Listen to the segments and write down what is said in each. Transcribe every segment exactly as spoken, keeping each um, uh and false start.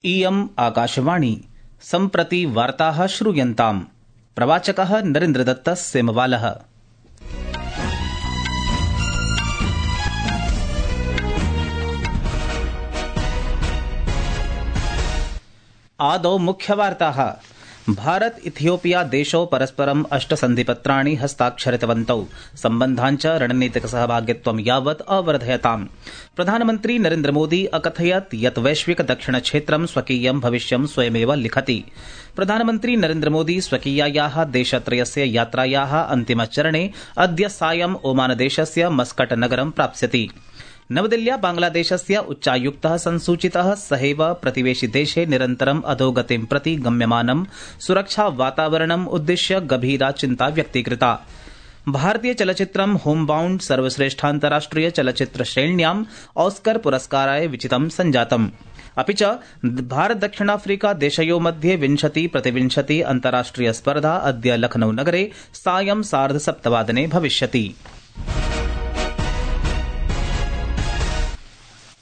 इयम् आकाशवाणी सम्प्रति वार्ताः श्रूयन्ताम्। प्रवाचकः नरेन्द्रदत्त सेमवालः। आदौ मुख्यवार्ताः। भारत इथियोपिया देशौ परस्परम् अष्ट सन्धिपत्राणि हस्ताक्षरितवन्तौ। सम्बन्धान् च रणनीतिक सहभागित्वं यावत् अवर्धयताम्। प्रधानमन्त्री नरेन्द्रमोदी अकथयत् यत् वैश्विक दक्षिण क्षेत्रं स्वकीयं भविष्यं स्वयमेव लिखति। प्रधानमन्त्री नरेन्द्रमोदी स्वकीयायाः देशत्रयस्य यात्रायाः अन्तिमचरणे अद्य सायं ओमानदेशस्य मस्कट नगरं प्राप्स्यति। नवदिल्ल्या बांग्लादेशस्य उच्चायुक्तः संसूचितः सहैव प्रतिवेशि देशे निरन्तरम् अधोगतिं प्रति गम्यमानं सुरक्षा वातावरणम् उद्दिश्य गभीरा चिन्ता व्यक्तीकृता। भारतीय चलचित्रं होमबाउण्ड सर्वश्रेष्ठान्तराष्ट्रिय चलचित्र श्रेण्याम् ऑस्कर पुरस्काराय विचितं सञ्जातम्। अपि च भारत दक्षिणाफ्रीका देशयो मध्ये विंशति प्रतिविंशति अन्ताराष्ट्रिय स्पर्धा अद्य लखनऊ नगरे सायं सार्धसप्तवादने भविष्यति।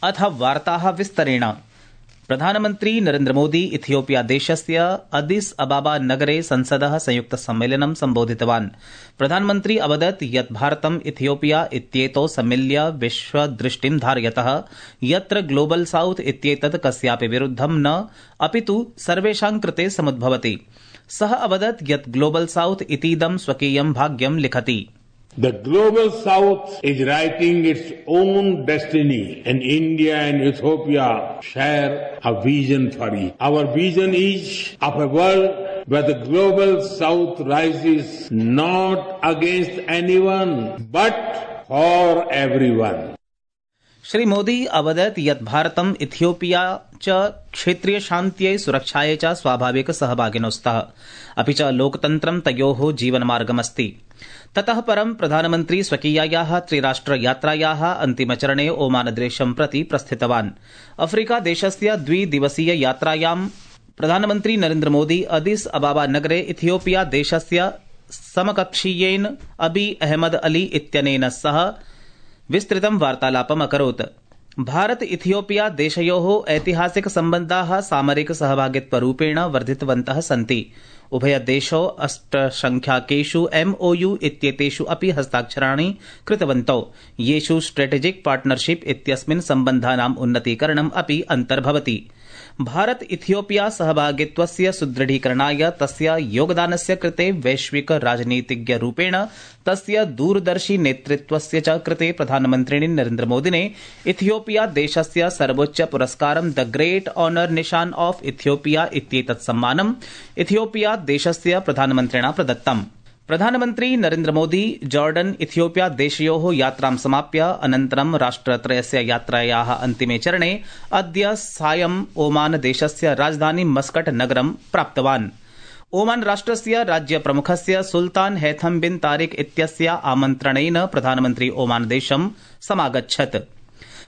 अथ वार्ताः विस्तरेण। प्रधानमन्त्री नरेन्द्रमोदी इथियोपिया देशस्य अदिस अबाबा नगरे संसदः संयुक्त सम्मेलनं सम्बोधितवान्। प्रधानमन्त्री अवदत् यत् भारतम् इथियोपिया इत्येतौ सम्मिल्य विश्वदृष्टिं धारयतः यत्र ग्लोबल साउथ इत्येतत् कस्यापि विरुद्धं न अपितु सर्वेषां कृते समुद्भवति। सः अवदत् यत् ग्लोबल साउथ इतीदं स्वकीयं भाग्यं लिखति। The global south is writing its own destiny, and India and Ethiopia share a vision for it. Our vision is of a world where the global south rises not against anyone but for everyone. Shri Modi अवदत् यत् भारतम् Ethiopia च क्षेत्रीय शान्त्यै सुरक्षायै च स्वाभाविक सहभागिनौ स्तः। अपि च लोकतन्त्रं तयोः जीवनमार्गमस्ति। ततः परं प्रधानमन्त्री स्वकीयायाः त्रिराष्ट्र यात्रायाः अन्तिमचरणे ओमानदेशं प्रति प्रस्थितवान्। अफ्रीका देशस्य द्विदिवसीय यात्रायां प्रधानमन्त्री नरेन्द्रमोदी अदिस अबाबा नगरे इथियोपिया देशस्य समकक्षीयेन अबी अहमद अली इत्यनेन सह विस्तृतं वार्तालापम् अकरोत्। भारत इथियोपिया देशयोः ऐतिहासिक सम्बन्धाः सामरिक सहभागित्वरूपेण वर्धितवन्तः सन्ति। उभयदेशौ अष्टसंख्याकेषु एमओयू इत्येतेषु अपि हस्ताक्षराणि कृतवन्तौ, येषु स्ट्रेटेजिक पार्टनरशिप इत्यस्मिन् सम्बन्धानाम् उन्नतीकरणम् अपि अन्तर्भवति। भारत इथियोपिया सहभागित्वस्य सुदृढीकरणाय तस्य योगदानस्य कृते वैश्विक राजनीतिज्ञरूपेण तस्य दूरदर्शी नेतृत्वस्य च कृते प्रधानमन्त्रिणे नरेन्द्रमोदिने इथियोपिया देशस्य सर्वोच्च पुरस्कारं द ग्रेट ऑनर निशान ऑफ इथियोपिया इत्येतत् सम्मानम् इथियोपिया देशस्य प्रधानमन्त्रिणा प्रदत्तम्। प्रधानमन्त्री नरेन्द्रमोदी जॉर्डन इथियोपिया देशयोः यात्रां समाप्य अनन्तरं राष्ट्रत्रयस्य यात्रायाः अन्तिमे चरणे अद्य सायं ओमान देशस्य राजधानी मस्कट नगरं प्राप्तवान्। ओमान राष्ट्रस्य राज्यप्रमुखस्य सुल्तान हैथम बिन तारिक इत्यस्य आमन्त्रणेन प्रधानमन्त्री ओमान देशं समागच्छत्।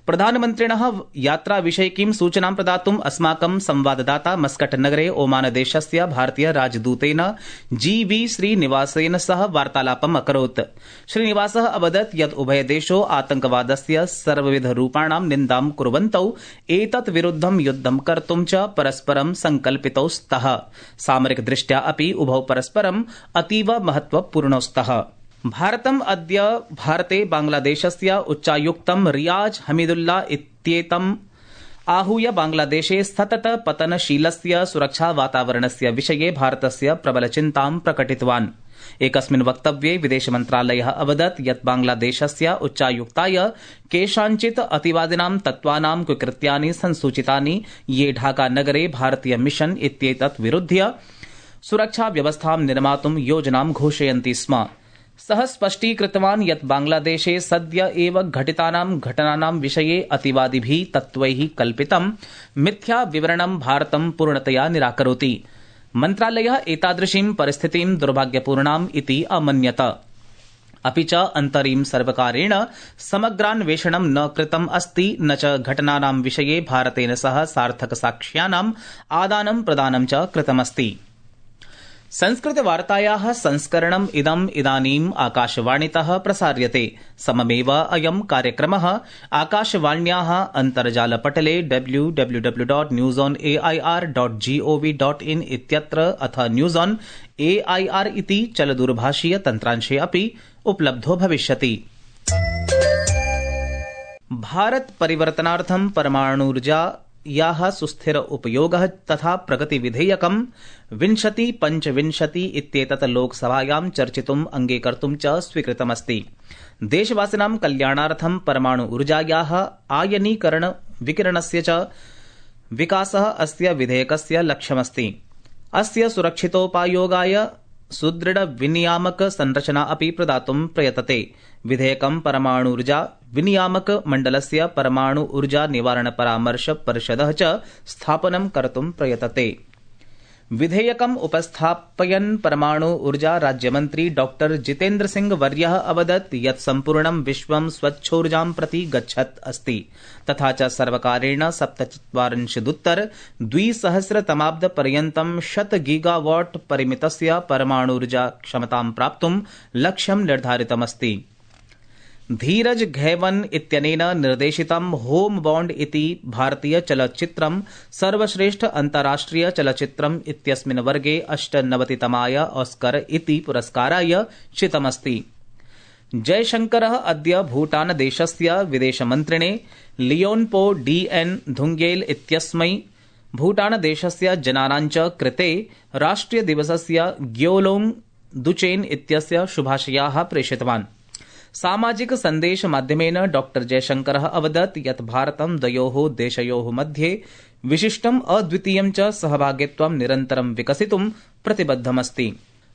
प्रधानमन्त्रिणः यात्राविषयिकीं सूचनां प्रदातुम् अस्माकं संवाददाता मस्कट नगरे ओमान देशस्य भारतीय राजदूतेन जी वी श्रीनिवासेन सह वार्तालापम् अकरोत्। श्रीनिवासः अवदत् यत् उभयदेशौ आतंकवादस्य सर्वविधरूपाणां निन्दां कुर्वन्तौ एतत् विरुद्धं युद्धं कर्तुं च परस्परं संकल्पितौ स्तः। सामरिक दृष्ट्या अपि उभौ परस्परं अतीव महत्वपूर्णौ स्तः। भारतम् अद्य भारते बांग्लादेशस्य उच्चायुक्तं रियाज हमीदुल्ला इत्येतम् आहूय बांग्लादेशे सतत पतनशीलस्य सुरक्षा वातावरणस्य विषये भारतस्य प्रबलचिन्तां प्रकटितवान्। एकस्मिन् वक्तव्ये विदेशमन्त्रालयः अवदत् यत् बांग्लादेशस्य उच्चायुक्ताय केषाञ्चित् अतिवादिनां तत्त्वानां कुकृत्यानि संसूचितानि, ये ढाका नगरे भारतीय मिशन इत्येतत् विरुध्य सुरक्षा व्यवस्थां निर्मातुं योजनां घोषयन्ति स्म। सः स्पष्टीकृतवान् यत् बांग्लादेशे सद्य एव घटितानां घटनानां विषये अतिवादिभिः तत्त्वैः कल्पितं मिथ्या विवरणं भारतं पूर्णतया निराकरोति। मन्त्रालयः एतादृशीं परिस्थितिं दुर्भाग्यपूर्णाम् इति अमन्यत। अपि च अन्तरिम सर्वकारेण समग्रान्वेषणं न कृतम् अस्ति, न च घटनानां विषये भारतेन सह सार्थक साक्ष्यानाम् आदानं प्रदानं च कृतमस्ति। संस्कृतवार्तायाः संस्करणम् इदम् इदानीम् आकाशवाणीतः प्रसार्यते। सममेव अयं कार्यक्रमः आकाशवाण्याः अन्तर्जालपटले W W W dot news on A I R dot G O V dot in इत्यत्र अथ news on A I R इति चलदूरभाषीय तन्त्रांशे अपि उपलब्धो भविष्यति। भारत परिवर्तनार्थं परमाणुर्जा याः सुस्थिर उपयोगः तथा प्रगति विधेयकं विंशति पंचविंशति इत्येतत् लोकसभायां चर्चितुम् अंगीकर्तुं च स्वीकृतमस्ति। देशवासिनां कल्याणार्थं परमाणु ऊर्जायाः आयनीकरण विकिरणस्य च विकासः अस्य विधेयकस्य लक्ष्यमस्ति। अस्य सुरक्षितोपायोगाय सुदृढ विनियामक संरचना अपि प्रदातुं प्रयतते। विधेयकं परमाणुर्जा विनियामक मण्डलस्य परमाणु ऊर्जा निवारण परामर्श परिषदः च स्थापनं कर्तुं प्रयतते। विधेयकम् उपस्थापयन् परमाणु ऊर्जा राज्यमन्त्री डॉक्टर जितेन्द्र सिंह वर्यः अवदत् यत् सम्पूर्णं विश्वं स्वच्छोर्जां प्रति गच्छत् अस्ति तथा च सर्वकारेण सप्तचत्वारिंशदुत्तर द्विसहस्रतमाब्द पर्यन्तं शत गीगावाट् परिमितस्य परमाणुर्जा क्षमतां प्राप्तुं लक्ष्यं निर्धारितमस्ति। धीरज घैवन इत्यनेन निर्देशितं होम बॉन्ड इति भारतीय चलच्चित्रं सर्वश्रेष्ठ अन्ताराष्ट्रिय चलच्चित्रम् इत्यस्मिन् वर्गे अष्टनवतितमाय ऑस्कर इति पुरस्काराय चितमस्ति। जयशंकरः अद्य भूटानदेशस्य विदेशमन्त्रिणे लियोन्पो डी एन धुंगेल इत्यस्मै भूटानदेशस्य जनानां च कृते राष्ट्रियदिवसस्य ग्योलोंग दुचेन इत्यस्य शुभाशयाः प्रेषितवान्। सामाजिक संदेश माध्यमेन डॉक्टर जयशंकरः अवदत् यत् भारतं द्वयोः देशयोः मध्ये विशिष्टम् अद्वितीयं च सहभागित्वं निरन्तरं विकसितुं प्रतिबद्धमस्ति।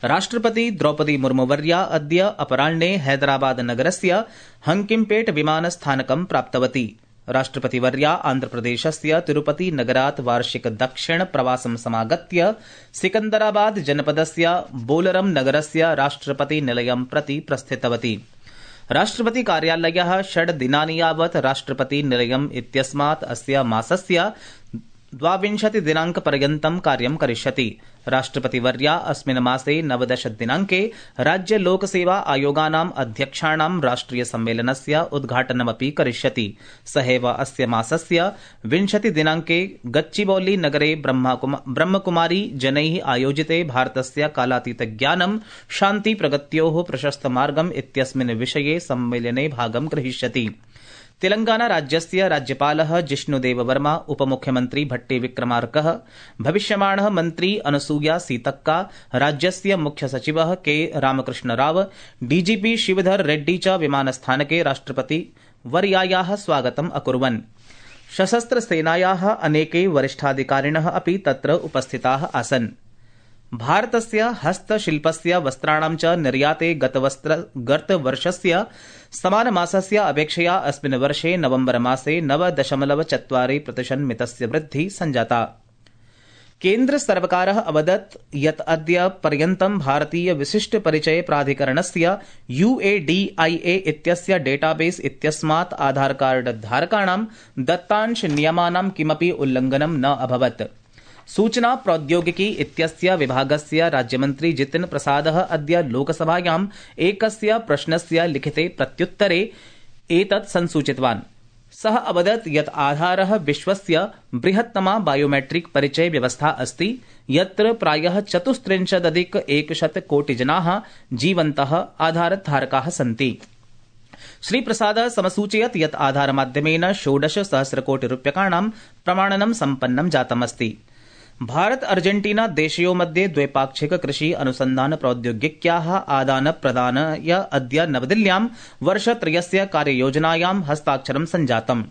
राष्ट्रपति द्रौपदी मुर्मुवर्या अद्य अपराह्ने हैदराबाद नगरस्य हंकिम्पेट विमानस्थानकं प्राप्तवती। राष्ट्रपतिवर्या आन्ध्रप्रदेशस्य तिरुपति नगरात् वार्षिक दक्षिण प्रवासं समागत्य सिकन्दराबाद जनपदस्य बोलरम नगरस्य राष्ट्रपति निलयं प्रति प्रस्थितवती। राष्ट्रपति कार्यालयः षड् दिनानि यावत् राष्ट्रपति निलयम् इत्यस्मात् अस्य मासस्य द्वाविंशति दिनांक पर्यन्तं कार्यं करिष्यति। राष्ट्रपतिवर्या अस्मिन् मासे नवदश दिनांके राज्य लोकसेवा आयोगानाम् अध्यक्षाणां राष्ट्रिय सम्मेलनस्य उद्घाटनमपि करिष्यति। सहैव अस्य मासस्य विंशति दिनांके गच्चिबौली नगरे ब्रह्मकुमारी जनैः आयोजिते भारतस्य कालातीत ज्ञानं शान्ति प्रगत्योः प्रशस्त मार्गम् इत्यस्मिन् विषये सम्मेलने भागं ग्रहीष्यति। तेलंगाना राज्यस्य राज्यपालः जिष्णुदेव वर्मा, उपमुख्यमन्त्री भट्टी विक्रमार्कः, भविष्यमाणः मन्त्री अनसूया सीतक्का, राज्यस्य मुख्य सचिवः के रामकृष्ण राव, डीजीपी शिवधर रेड्डी च विमानस्थानके राष्ट्रपति वर्यायाः स्वागतम् अकुर्वन्। सशस्त्र सेनायाः अनेके वरिष्ठाधिकारिणः अपि तत्र उपस्थिताः आसन्। भारतस्य हस्तशिल्पस्य वस्त्राणां च निर्याते गतवर्षस्य समानमासस्य अपेक्षया अस्मिन् वर्षे नवम्बर मासे नव दशमलव चत्वारि प्रतिशन्मितस्य वृद्धिः सञ्जाता। केन्द्र सर्वकारः अवदत् यत् अद्य पर्यन्तं भारतीय विशिष्ट परिचय प्राधिकरणस्य यूएडीआईए इत्यस्य डेटाबेस इत्यस्मात् आधार कार्ड धारकाणां दत्तांश नियमानां किमपि उल्लङ्घनं न अभवत्। सूचना प्रौद्योगिकी इत्यस्य विभागस्य राज्यमन्त्री जितिन प्रसादः अद्य लोकसभायाम् एकस्य प्रश्नस्य लिखिते प्रत्युत्तरे एतत् संसूचितवान्। सः अवदत् यत् आधारः विश्वस्य बृहत्तमा बायोमेट्रिक परिचय व्यवस्था अस्ति यत्र प्रायः चतुस्त्रिंशदधिक एकशत कोटि जनाः जीवन्तः आधारधारकाः सन्ति। श्रीप्रसादः समसूचयत् यत् आधारमाध्यमेन षोडश सहस्रकोटि रूप्यकाणां प्रमाणनं सम्पन्नं जातमस्ति। भारत अर्जेंटीना देशयोः मध्ये द्वैपाक्षिक कृषि अनुसन्धान प्रौद्योगिक्याः आदान प्रदानाय अद्य नवदिल्ल्यां वर्षत्रयस्य कार्ययोजनायां हस्ताक्षरं सञ्जातम्।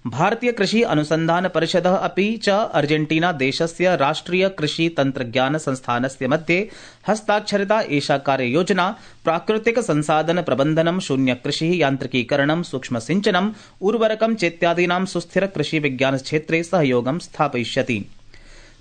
भारतीय कृषि अनुसन्धान परिषदः अपि च अर्जेंटीना देशस्य राष्ट्रिय कृषि तन्त्रज्ञान संस्थानस्य मध्ये हस्ताक्षरिता एषा कार्ययोजना प्राकृतिक संसाधन प्रबन्धनं, शून्य कृषिः, यान्त्रिकीकरणं, सूक्ष्म सिंचनम्, उर्वरकं चेत्यादीनां सुस्थिर कृषि विज्ञान क्षेत्रे सहयोगं स्थापयिष्यति।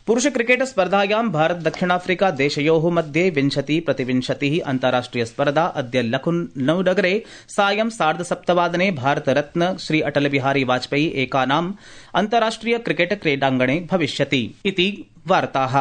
पुरुष क्रिकेट स्पर्धायां भारत दक्षिणाफ्रिका देशयोः मध्ये विंशति प्रतिविंशतिः अन्ताराष्ट्रिय स्पर्धा अद्य लखनऊ नगरे सायं सार्धसप्तवादने भारतरत्न श्री अटल बिहारी वाजपेयी एकानाम् अन्ताराष्ट्रिय क्रिकेट क्रीडाङ्गणे भविष्यति इति वार्ताः।